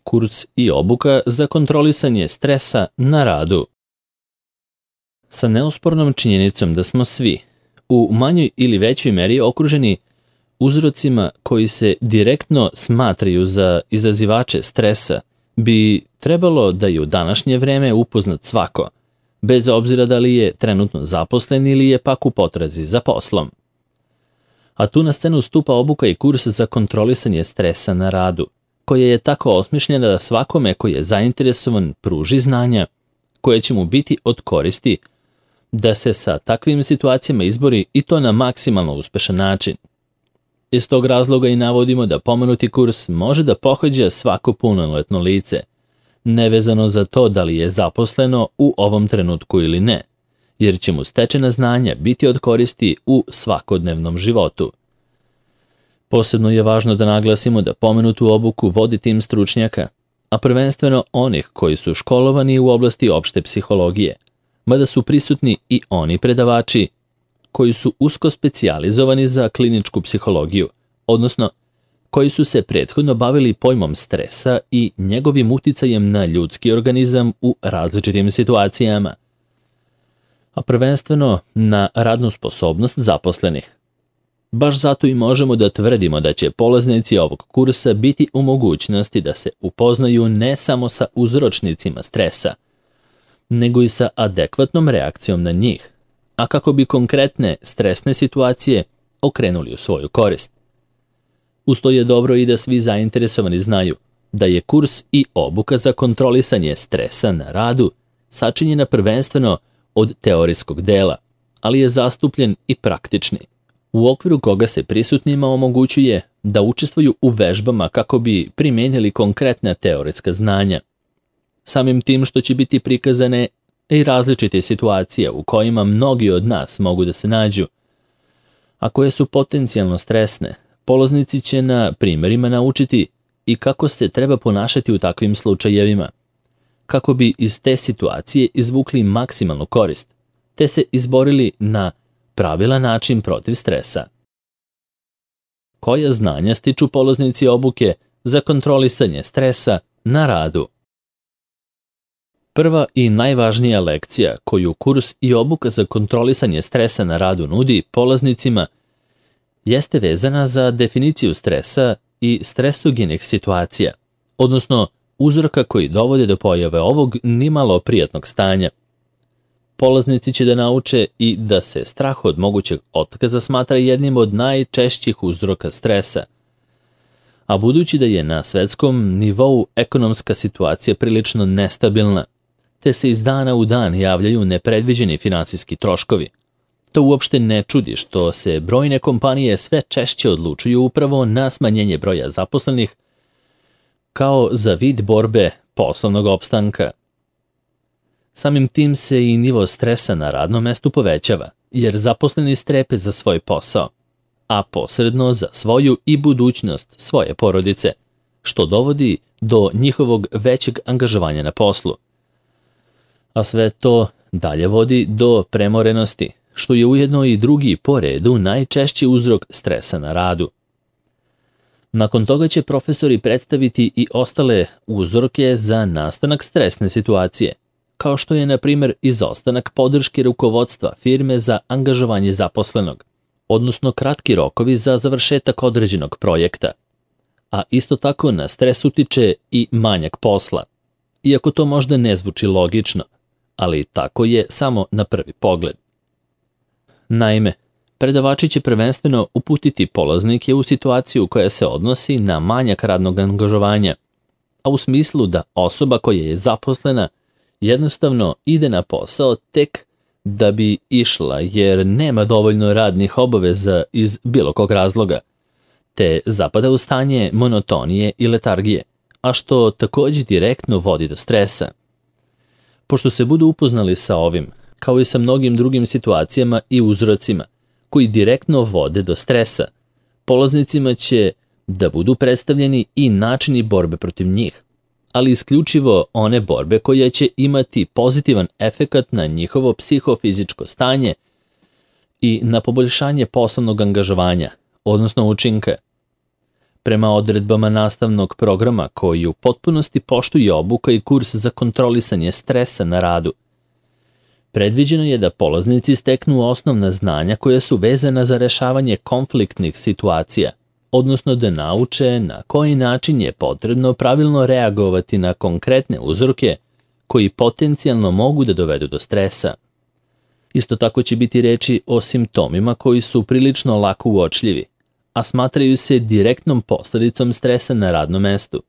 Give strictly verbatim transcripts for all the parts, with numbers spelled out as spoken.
Kurs i obuka za kontrolisanje stresa na radu. Sa neospornom činjenicom da smo svi, u manjoj ili većoj meri okruženi uzrocima koji se direktno smatraju za izazivače stresa, bi trebalo da je u današnje vreme upoznat svako, bez obzira da li je trenutno zaposlen ili je pak u potrazi za poslom. A tu na scenu stupa obuka i kurs za kontrolisanje stresa na radu, koja je tako osmišljena da svakome koji je zainteresovan pruži znanja koje će mu biti od koristi da se sa takvim situacijama izbori i to na maksimalno uspešan način. Iz tog razloga i navodimo da pomenuti kurs može da pohađa svako punoletno lice, nevezano za to da li je zaposleno u ovom trenutku ili ne, jer će mu stečena znanja biti od koristi u svakodnevnom životu. Posebno je važno da naglasimo da pomenutu obuku vodi tim stručnjaka, a prvenstveno onih koji su školovani u oblasti opšte psihologije, mada su prisutni i oni predavači koji su usko specijalizovani za kliničku psihologiju, odnosno koji su se prethodno bavili pojmom stresa i njegovim uticajem na ljudski organizam u različitim situacijama, a prvenstveno na radnu sposobnost zaposlenih. Baš zato i možemo da tvrdimo da će polaznici ovog kursa biti u mogućnosti da se upoznaju ne samo sa uzročnicima stresa, nego i sa adekvatnom reakcijom na njih, a kako bi konkretne stresne situacije okrenuli u svoju korist. Uz to je dobro i da svi zainteresovani znaju da je kurs i obuka za kontrolisanje stresa na radu sačinjena prvenstveno od teorijskog dela, ali je zastupljen i praktični, u okviru koga se prisutnima omogućuje da učestvuju u vežbama kako bi primijenili konkretna teoretska znanja. Samim tim što će biti prikazane i različite situacije u kojima mnogi od nas mogu da se nađu, a koje su potencijalno stresne, polaznici će na primjerima naučiti i kako se treba ponašati u takvim slučajevima, kako bi iz te situacije izvukli maksimalnu korist, te se izborili na pravilan način protiv stresa. Koja znanja stiču polaznici obuke za kontrolisanje stresa na radu? Prva i najvažnija lekcija koju kurs i obuka za kontrolisanje stresa na radu nudi polaznicima jeste vezana za definiciju stresa i stresogenih situacija, odnosno uzroka koji dovode do pojave ovog nimalo prijatnog stanja. Polaznici će da nauče i da se strah od mogućeg otkaza smatra jednim od najčešćih uzroka stresa. A budući da je na svetskom nivou ekonomska situacija prilično nestabilna, te se iz dana u dan javljaju nepredviđeni finansijski troškovi, to uopšte ne čudi što se brojne kompanije sve češće odlučuju upravo na smanjenje broja zaposlenih kao za vid borbe poslovnog opstanka. Samim tim se i nivo stresa na radnom mestu povećava, jer zaposleni strepe za svoj posao, a posredno za svoju i budućnost svoje porodice, što dovodi do njihovog većeg angažovanja na poslu. A sve to dalje vodi do premorenosti, što je ujedno i drugi po redu najčešći uzrok stresa na radu. Nakon toga će profesori predstaviti i ostale uzroke za nastanak stresne situacije, kao što je, na primjer, izostanak podrške rukovodstva firme za angažovanje zaposlenog, odnosno kratki rokovi za završetak određenog projekta. A isto tako na stres utiče i manjak posla, iako to možda ne zvuči logično, ali tako je samo na prvi pogled. Naime, predavači će prvenstveno uputiti polaznike u situaciju koja se odnosi na manjak radnog angažovanja, a u smislu da osoba koja je zaposlena jednostavno ide na posao tek da bi išla jer nema dovoljno radnih obaveza iz bilo kog razloga, te zapada u stanje monotonije i letargije, a što također direktno vodi do stresa. Pošto se budu upoznali sa ovim, kao i sa mnogim drugim situacijama i uzrocima koji direktno vode do stresa, polaznicima će da budu predstavljeni i načini borbe protiv njih, ali isključivo one borbe koje će imati pozitivan efekat na njihovo psihofizičko stanje i na poboljšanje poslovnog angažovanja, odnosno učinka. Prema odredbama nastavnog programa koji u potpunosti poštuje obuka i kurs za kontrolisanje stresa na radu, predviđeno je da polaznici steknu osnovna znanja koja su vezana za rešavanje konfliktnih situacija, odnosno da nauče na koji način je potrebno pravilno reagovati na konkretne uzroke koji potencijalno mogu da dovedu do stresa. Isto tako će biti reči o simptomima koji su prilično lako uočljivi, a smatraju se direktnom posledicom stresa na radnom mestu.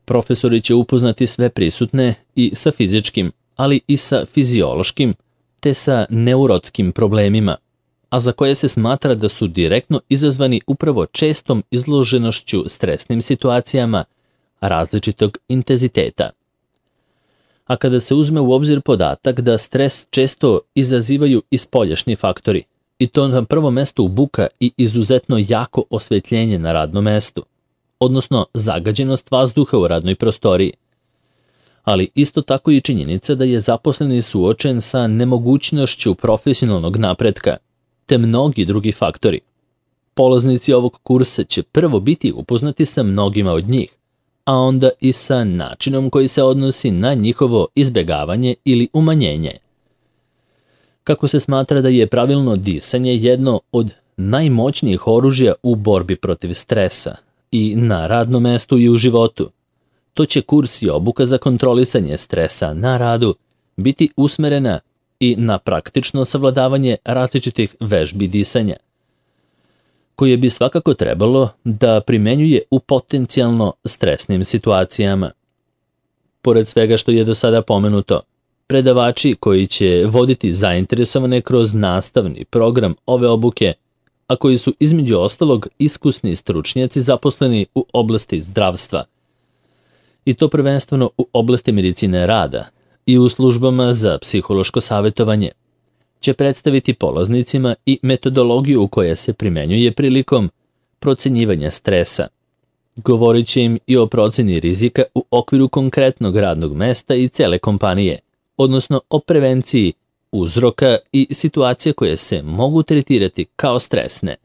Profesori će upoznati sve prisutne i sa fizičkim, ali i sa fiziološkim, te sa neurotskim problemima, a za koje se smatra da su direktno izazvani upravo čestom izloženošću stresnim situacijama različitog intenziteta. A kada se uzme u obzir podatak da stres često izazivaju i spoljašnji faktori, i to na prvom mestu buka i izuzetno jako osvetljenje na radnom mestu, odnosno zagađenost vazduha u radnoj prostoriji, ali isto tako i činjenica da je zaposleni suočen sa nemogućnošću profesionalnog napretka, te mnogi drugi faktori. Polaznici ovog kursa će prvo biti upoznati sa mnogima od njih, a onda i sa načinom koji se odnosi na njihovo izbegavanje ili umanjenje. Kako se smatra da je pravilno disanje jedno od najmoćnijih oružja u borbi protiv stresa i na radnom mestu i u životu, to će kurs i obuka za kontrolisanje stresa na radu biti usmerena i na praktično savladavanje različitih vežbi disanja, koje bi svakako trebalo da primenjuje u potencijalno stresnim situacijama. Pored svega što je do sada pomenuto, predavači koji će voditi zainteresovane kroz nastavni program ove obuke, a koji su između ostalog iskusni stručnjaci zaposleni u oblasti zdravstva, i to prvenstveno u oblasti medicine rada i u službama za psihološko savjetovanje, će predstaviti polaznicima i metodologiju koja se primenjuje prilikom procenjivanja stresa. Govorit će im i o proceni rizika u okviru konkretnog radnog mesta i cele kompanije, odnosno o prevenciji uzroka i situacija koje se mogu tretirati kao stresne.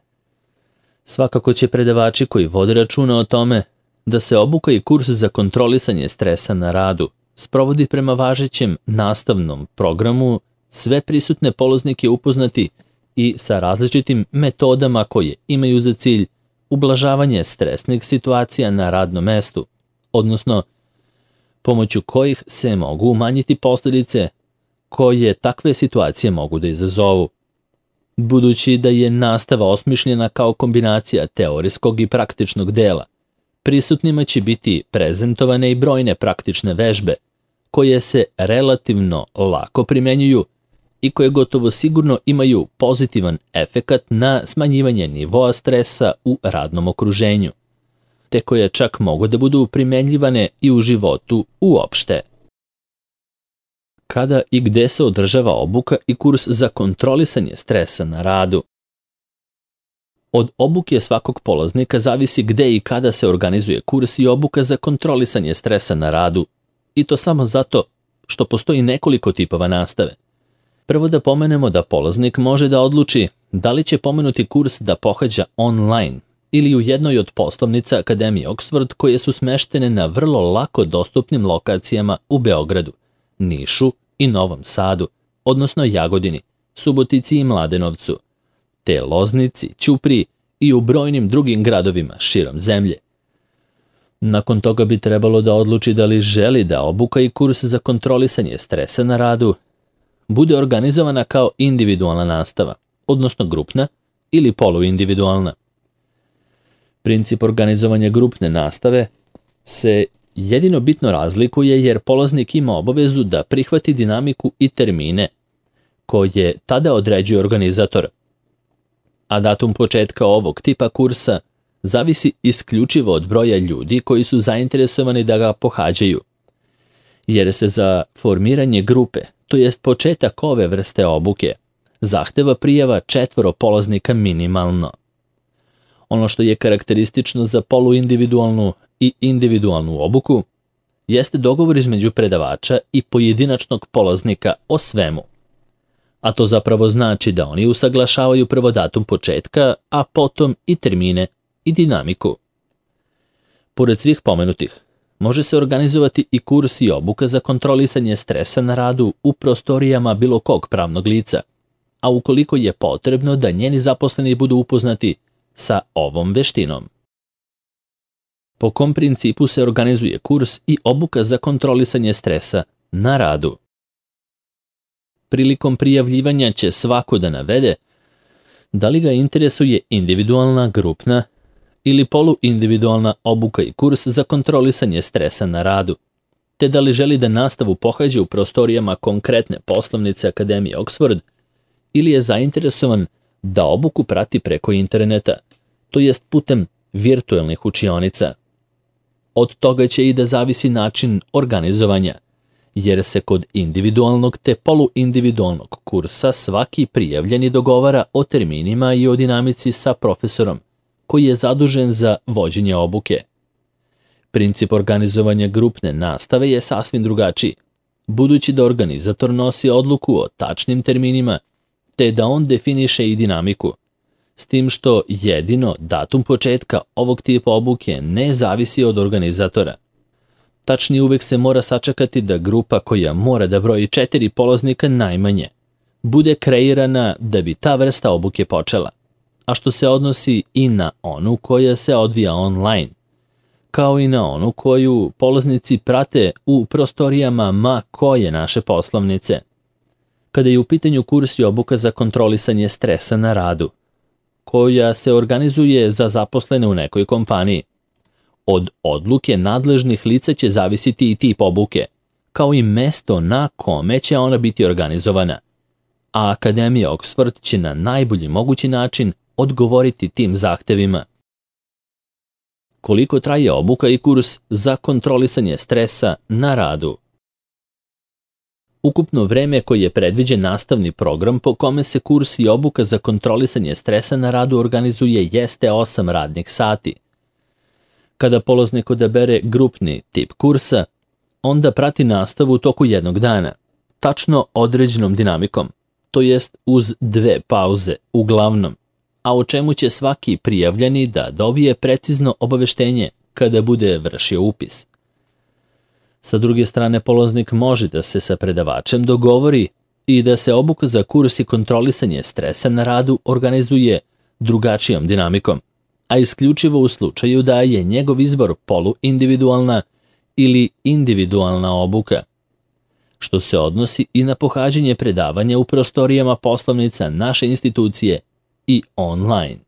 Svakako će predavači koji vode računa o tome da se obuka i kurs za kontrolisanje stresa na radu sprovodi prema važećem nastavnom programu sve prisutne polaznike upoznati i sa različitim metodama koje imaju za cilj ublažavanje stresnih situacija na radnom mestu, odnosno pomoću kojih se mogu umanjiti posljedice koje takve situacije mogu da izazovu. Budući da je nastava osmišljena kao kombinacija teorijskog i praktičnog dela, prisutnima će biti prezentovane i brojne praktične vežbe koje se relativno lako primenjuju i koje gotovo sigurno imaju pozitivan efekat na smanjivanje nivoa stresa u radnom okruženju, te koje čak mogu da budu primenjivane i u životu uopšte. Kada i gde se održava obuka i kurs za kontrolisanje stresa na radu? Od obuke svakog polaznika zavisi gde i kada se organizuje kurs i obuka za kontrolisanje stresa na radu, i to samo zato što postoji nekoliko tipova nastave. Prvo da pomenemo da polaznik može da odluči da li će pomenuti kurs da pohađa online ili u jednoj od poslovnica Akademije Oxford koje su smeštene na vrlo lako dostupnim lokacijama u Beogradu, Nišu i Novom Sadu, odnosno Jagodini, Subotici i Mladenovcu, te Loznici, Ćupriji i u brojnim drugim gradovima širom zemlje. Nakon toga bi trebalo da odluči da li želi da obuka i kurs za kontrolisanje stresa na radu bude organizovana kao individualna nastava, odnosno grupna ili poluindividualna. Princip organizovanja grupne nastave se jedino bitno razlikuje jer polaznik ima obavezu da prihvati dinamiku i termine koje tada određuje organizator, a datum početka ovog tipa kursa zavisi isključivo od broja ljudi koji su zainteresovani da ga pohađaju, jer se za formiranje grupe, to jest početak ove vrste obuke, zahteva prijava četvoro polaznika minimalno. Ono što je karakteristično za poluindividualnu i individualnu obuku jeste dogovor između predavača i pojedinačnog polaznika o svemu, a to zapravo znači da oni usaglašavaju prvo datum početka, a potom i termine i dinamiku. Pored svih pomenutih, može se organizovati i kurs i obuka za kontrolisanje stresa na radu u prostorijama bilo kog pravnog lica, a ukoliko je potrebno da njeni zaposleni budu upoznati sa ovom veštinom. Po kom principu se organizuje kurs i obuka za kontrolisanje stresa na radu? Prilikom prijavljivanja će svako da navede da li ga interesuje individualna, grupna ili poluindividualna obuka i kurs za kontrolisanje stresa na radu, te da li želi da nastavu pohađa u prostorijama konkretne poslovnice Akademije Oxford ili je zainteresovan da obuku prati preko interneta, to jest putem virtuelnih učionica. Od toga će i da zavisi način organizovanja, jer se kod individualnog te poluindividualnog kursa svaki prijavljeni dogovara o terminima i o dinamici sa profesorom, koji je zadužen za vođenje obuke. Princip organizovanja grupne nastave je sasvim drugačiji, budući da organizator nosi odluku o tačnim terminima, te da on definiše i dinamiku, s tim što jedino datum početka ovog tipa obuke ne zavisi od organizatora. Tačnije, uvek se mora sačekati da grupa koja mora da broji četiri polaznika najmanje bude kreirana da bi ta vrsta obuke počela, a što se odnosi i na onu koja se odvija online, kao i na onu koju polaznici prate u prostorijama ma koje naše poslovnice. Kada je u pitanju kurs i obuka za kontrolisanje stresa na radu, koja se organizuje za zaposlene u nekoj kompaniji, od odluke nadležnih lica će zavisiti i tip obuke, kao i mesto na kome će ona biti organizovana, a Akademija Oxford će na najbolji mogući način odgovoriti tim zahtevima. Koliko traje obuka i kurs za kontrolisanje stresa na radu? Ukupno vreme koje je predviđen nastavni program po kome se kurs i obuka za kontrolisanje stresa na radu organizuje jeste osam radnih sati. Kada polaznik odabere grupni tip kursa, onda prati nastavu u toku jednog dana, tačno određenom dinamikom, to jest uz dve pauze uglavnom, a o čemu će svaki prijavljeni da dobije precizno obaveštenje kada bude vršio upis. Sa druge strane, polaznik može da se sa predavačem dogovori i da se obuka za kurs i kontrolisanje stresa na radu organizuje drugačijom dinamikom, a isključivo u slučaju da je njegov izbor poluindividualna ili individualna obuka, što se odnosi i na pohađanje predavanja u prostorijama poslovnica naše institucije i online.